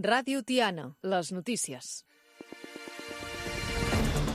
Ràdio Tiana, les notícies.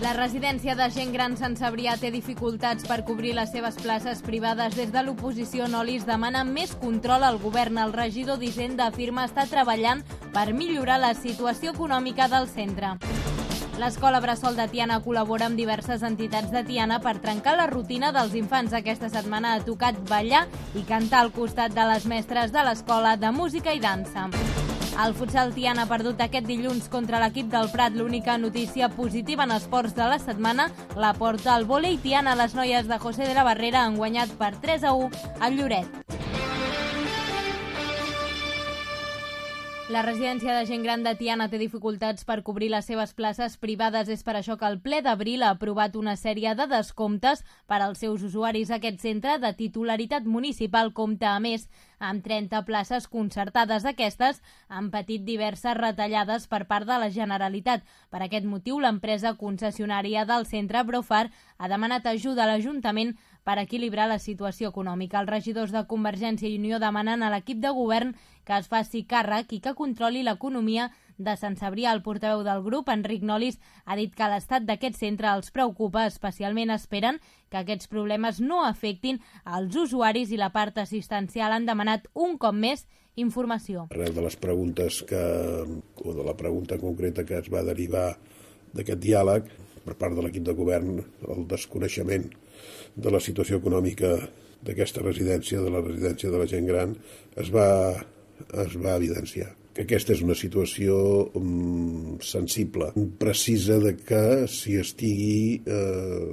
La residència de gent gran Sant Cebrià té dificultats per cobrir les seves places privades. Des de l'oposició Nolis demana més control al govern. El regidor d'Hisenda afirma estar treballant per millorar la situació econòmica del centre. L'Escola Bressol de Tiana col·labora amb diverses entitats de Tiana per trencar la rutina dels infants. Aquesta setmana ha tocat ballar i cantar al costat de les mestres de l'Escola de Música i Dansa. El futsal Tiana ha perdut aquest dilluns contra l'equip del Prat. L'única notícia positiva en esports de la setmana la porta el vòlei Tiana. Les noies de José de la Barrera han guanyat per 3-1 al Lloret. La residència de gent gran de Tiana té dificultats per cobrir les seves places privades. És per això que el ple d'abril ha aprovat una sèrie de descomptes per als seus usuaris. Aquest centre de titularitat municipal compta, a més, amb 30 places concertades. Aquestes han patit diverses retallades per part de la Generalitat. Per aquest motiu, l'empresa concessionària del centre, Brofar, ha demanat ajuda a l'Ajuntament per equilibrar la situació econòmica. Els regidors de Convergència i Unió demanen a l'equip de govern que es faci càrrec i que controli l'economia de Sant Cebrià. El portaveu del grup, Enric Nolis, ha dit que l'estat d'aquest centre els preocupa. Especialment esperen que aquests problemes no afectin als usuaris i la part assistencial. Han demanat un cop més informació. Arrel de les preguntes o de la pregunta concreta que es va derivar d'aquest diàleg per part de l'equip de govern, el desconeixement de la situació econòmica d'aquesta residència, de la residència de la gent gran, es va evidenciar que aquesta és una situació sensible, precisa de que s'hi estigui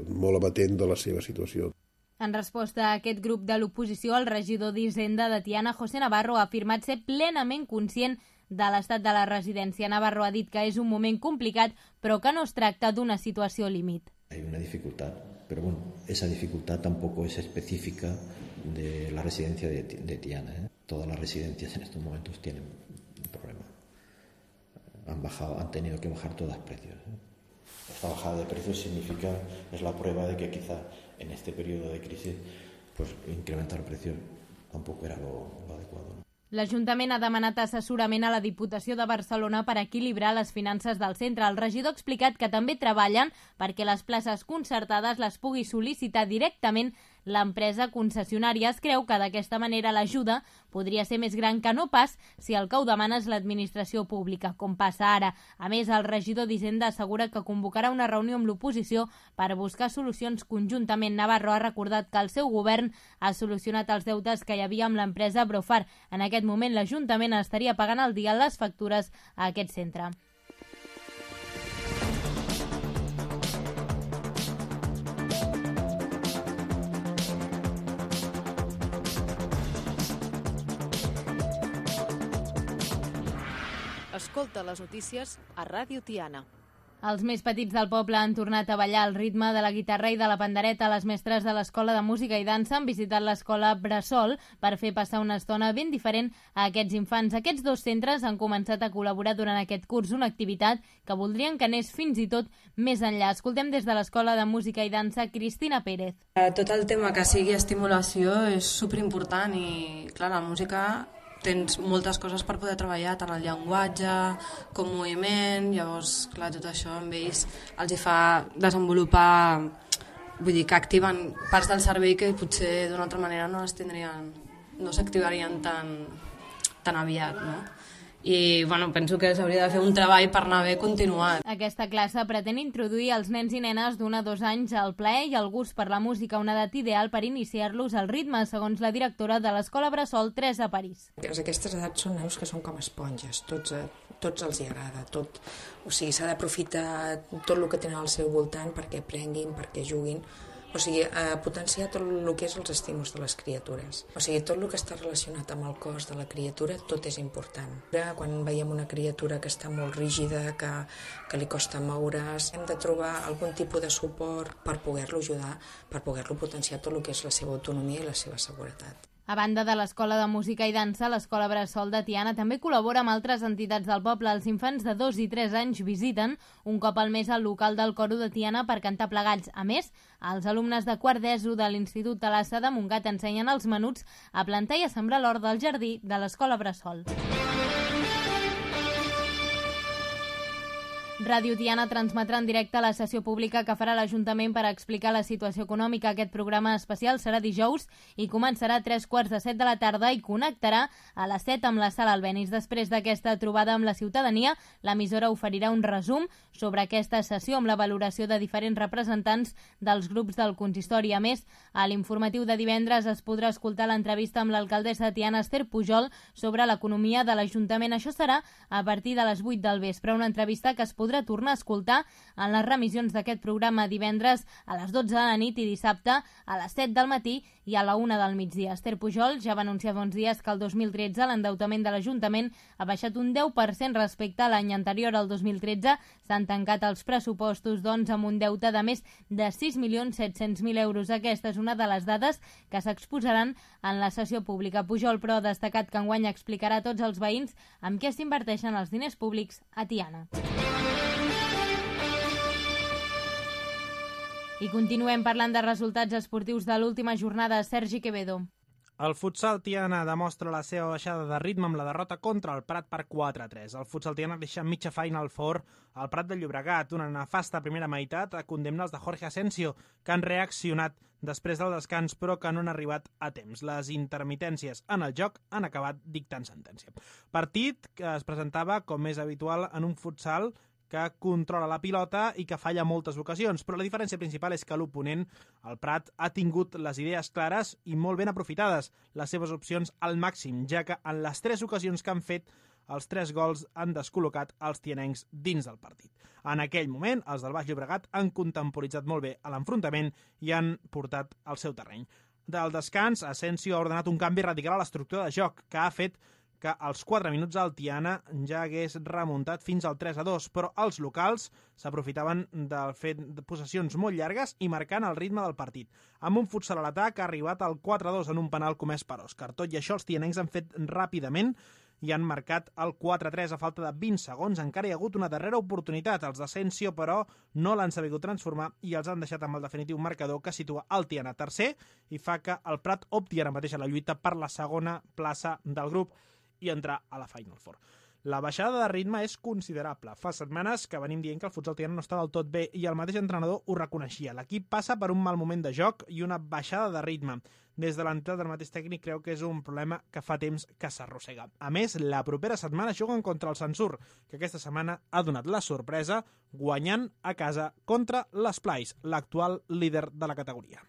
molt amatent de la seva situació. En resposta a aquest grup de l'oposició, el regidor d'Hisenda de Tiana, José Navarro, ha afirmat ser plenament conscient de l'estat de la residència. Navarro ha dit que és un moment complicat, però que no es tracta d'una situació límit. Hay una dificultad, pero bueno, esa dificultad tampoco es específica de la residencia de Tiana, ¿eh? Todas las residencias en estos momentos tienen un problema. Han tenido que bajar todas precios, ¿eh? Esta bajada de precios es la prueba de que quizá en este periodo de crisis pues incrementar precios tampoco era lo adecuado, ¿no? L'Ajuntament ha demanat assessorament a la Diputació de Barcelona per equilibrar les finances del centre. El regidor ha explicat que també treballen perquè les places concertades les pugui sol·licitar directament l'empresa concessionària. Es creu que d'aquesta manera l'ajuda podria ser més gran que no pas si el que ho demana és l'administració pública, com passa ara. A més, el regidor d'Hisenda assegura que convocarà una reunió amb l'oposició per buscar solucions conjuntament. Navarro ha recordat que el seu govern ha solucionat els deutes que hi havia amb l'empresa Brofar. En aquest moment, l'Ajuntament estaria pagant al dia les factures a aquest centre. Escolta les notícies a Ràdio Tiana. Els més petits del poble han tornat a ballar al ritme de la guitarra i de la pandereta. Les mestres de l'Escola de Música i Dansa han visitat l'Escola Bressol per fer passar una estona ben diferent a aquests infants. Aquests dos centres han començat a col·laborar durant aquest curs, una activitat que voldrien que anés fins i tot més enllà. Escoltem des de l'Escola de Música i Dansa Cristina Pérez. Tot el tema que sigui estimulació és superimportant i, clar, la música tens moltes coses per poder treballar, tant el llenguatge com moviment. Llavors, clar, tot això amb ells els hi fa desenvolupar, vull dir, que activen parts del cervell que potser d'una altra manera no s'activarien tan aviat, no? I bueno, penso que s'hauria de fer un treball per anar bé continuat. Aquesta classe pretén introduir els nens i nenes d'1 a 2 anys al plaer i al gust per la música, una edat ideal per iniciar-los al ritme, segons la directora de l'Escola Bressol, Teresa París. Aquestes edats són nanos que són com esponges, tots els hi agrada, tot. O sigui, s'ha d'aprofitar tot el que tenen al seu voltant perquè aprenguin, perquè juguin. O sigui, potenciar tot el que és els estímuls de les criatures. O sigui, tot el que està relacionat amb el cos de la criatura, tot és important. Quan veiem una criatura que està molt rígida, que li costa moure's, hem de trobar algun tipus de suport per poder-lo ajudar, per poder-lo potenciar tot el que és la seva autonomia i la seva seguretat. A banda de l'Escola de Música i Dansa, l'Escola Bressol de Tiana també col·labora amb altres entitats del poble. Els infants de 2 i 3 anys visiten un cop al mes el local del Coro de Tiana per cantar plegats. A més, els alumnes de quart d'ESO de l'Institut Talassa de Montgat ensenyen als menuts a plantar i a sembrar l'hort del jardí de l'Escola Bressol. Ràdio Tiana transmetrà en directe la sessió pública que farà l'Ajuntament per explicar la situació econòmica. Aquest programa especial serà dijous i començarà a 3:45 de la tarda i connectarà a les 7 amb la Sala Albéniz. Després d'aquesta trobada amb la ciutadania, l'emissora oferirà un resum sobre aquesta sessió amb la valoració de diferents representants dels grups del consistori. A més, a l'informatiu de divendres es podrà escoltar l'entrevista amb l'alcaldessa de Tiana, Esther Pujol, sobre l'economia de l'Ajuntament. Això serà a partir de les 8 del vespre, una entrevista que es podrà tornar a escoltar en les remissions d'aquest programa divendres a les 12 de la nit i dissabte a les 7 del matí i a la 1 del migdia. Esther Pujol ja va anunciar fa uns dies que el 2013 l'endeutament de l'Ajuntament ha baixat un 10% respecte a l'any anterior, al 2013. S'han tancat els pressupostos, doncs, amb un deute de més de 6.700.000 euros. Aquesta és una de les dades que s'exposaran en la sessió pública. Pujol, però, ha destacat que enguany explicarà a tots els veïns amb què s'inverteixen els diners públics a Tiana. I continuem parlant de resultats esportius de l'última jornada. Sergi Quevedo. El futsal Tiana demostra la seva baixada de ritme amb la derrota contra el Prat per 4-3. El futsal Tiana deixa mitja Final Four al Prat de Llobregat. Una nefasta primera meitat a condemnar els de Jorge Asensio, que han reaccionat després del descans, però que no han arribat a temps. Les intermitències en el joc han acabat dictant sentència. Partit que es presentava, com és habitual en un futsal, que controla la pilota i que falla moltes ocasions, però la diferència principal és que l'oponent, el Prat, ha tingut les idees clares i molt ben aprofitades les seves opcions al màxim, ja que en les 3 ocasions que han fet, els 3 gols han descol·locat els tianencs dins del partit. En aquell moment, els del Baix Llobregat han contemporitzat molt bé l'enfrontament i han portat al seu terreny. Del descans, Asensio ha ordenat un canvi radical a l'estructura de joc, que ha fet que als 4 minuts el Tiana ja hagués remuntat fins al 3-2, però els locals s'aprofitaven del fet de possessions molt llargues i marcant el ritme del partit. Amb un futsal a l'atac ha arribat al 4-2 en un penal comès per Òscar. Tot i això, els tianencs han fet ràpidament i han marcat el 4-3 a falta de 20 segons. Encara hi ha hagut una darrera oportunitat. Els d'Asensio, però, no l'han sabut transformar i els han deixat amb el definitiu marcador que situa el Tiana tercer i fa que el Prat opti ara mateix a la lluita per la segona plaça del grup i entrar a la Final Four. La baixada de ritme és considerable. Fa setmanes que venim dient que el futsal Tiana no està del tot bé i el mateix entrenador ho reconeixia. L'equip passa per un mal moment de joc i una baixada de ritme. Des de l'entrada del mateix tècnic creu que és un problema que fa temps que s'arrossega. A més, la propera setmana juguen contra el Sansur, que aquesta setmana ha donat la sorpresa guanyant a casa contra l'Esplais, l'actual líder de la categoria.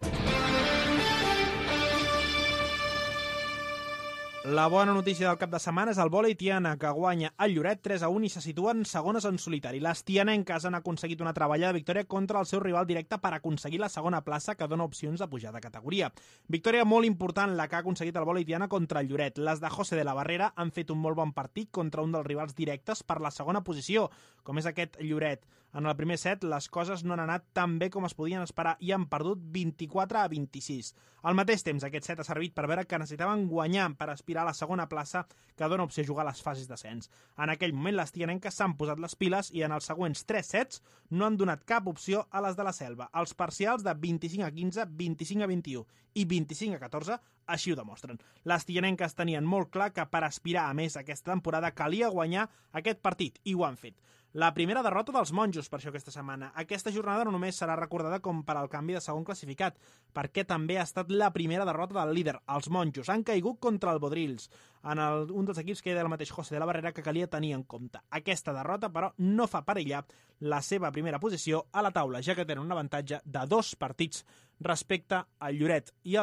La bona notícia del cap de setmana és el vòlei Tiana, que guanya el Lloret 3-1 i se situen segones en solitari. Les tianenques han aconseguit una treballada victòria contra el seu rival directe per aconseguir la segona plaça, que dona opcions de pujar de categoria. Victòria molt important la que ha aconseguit el vòlei Tiana contra el Lloret. Les de José de la Barrera han fet un molt bon partit contra un dels rivals directes per la segona posició, com és aquest Lloret. En el primer set, les coses no han anat tan bé com es podien esperar i han perdut 24-26. Al mateix temps, aquest set ha servit per veure que necessitaven guanyar per aspirar a la segona plaça, que dona opció a jugar a les fases d'ascens. En aquell moment, les tianenques s'han posat les piles i en els següents 3 sets no han donat cap opció a les de la Selva. Els parcials de 25-15, 25-21 i 25-14 així ho demostren. Les tianenques tenien molt clar que per aspirar a més aquesta temporada calia guanyar aquest partit i ho han fet. La primera derrota dels monjos, per això, aquesta setmana. Aquesta jornada no només serà recordada com per al canvi de segon classificat, perquè també ha estat la primera derrota del líder. Els monjos han caigut contra el Bodrils, en un dels equips que era el mateix José de la Barrera, que calia tenir en compte. Aquesta derrota, però, no fa perillar la seva primera posició a la taula, ja que tenen un avantatge de 2 partits respecte al Lloret i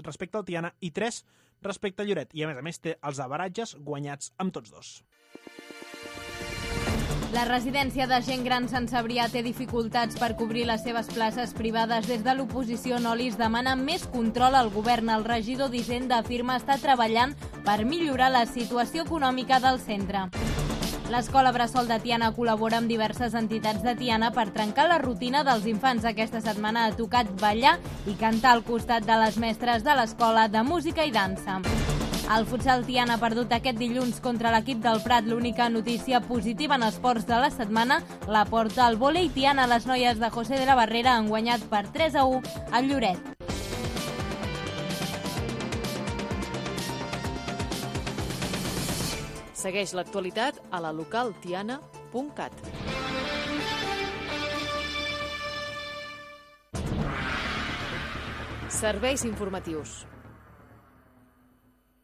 respecte al Tiana i 3 respecte al Lloret. I, a més, té els avaratges guanyats amb tots 2. La residència de gent gran Sant Cebrià té dificultats per cobrir les seves places privades. Des de l'oposició Nolis demana més control al govern. El regidor d'Hisenda afirma estar treballant per millorar la situació econòmica del centre. L'Escola Bressol de Tiana col·labora amb diverses entitats de Tiana per trencar la rutina dels infants. Aquesta setmana ha tocat ballar i cantar al costat de les mestres de l'Escola de Música i Dansa. El futsal Tiana ha perdut aquest dilluns contra l'equip del Prat. L'única notícia positiva en esports de la setmana la porta el vòlei Tiana. Les noies de José de la Barrera han guanyat per 3-1 al Lloret. Segueix l'actualitat a la localtiana.cat. Serveis informatius.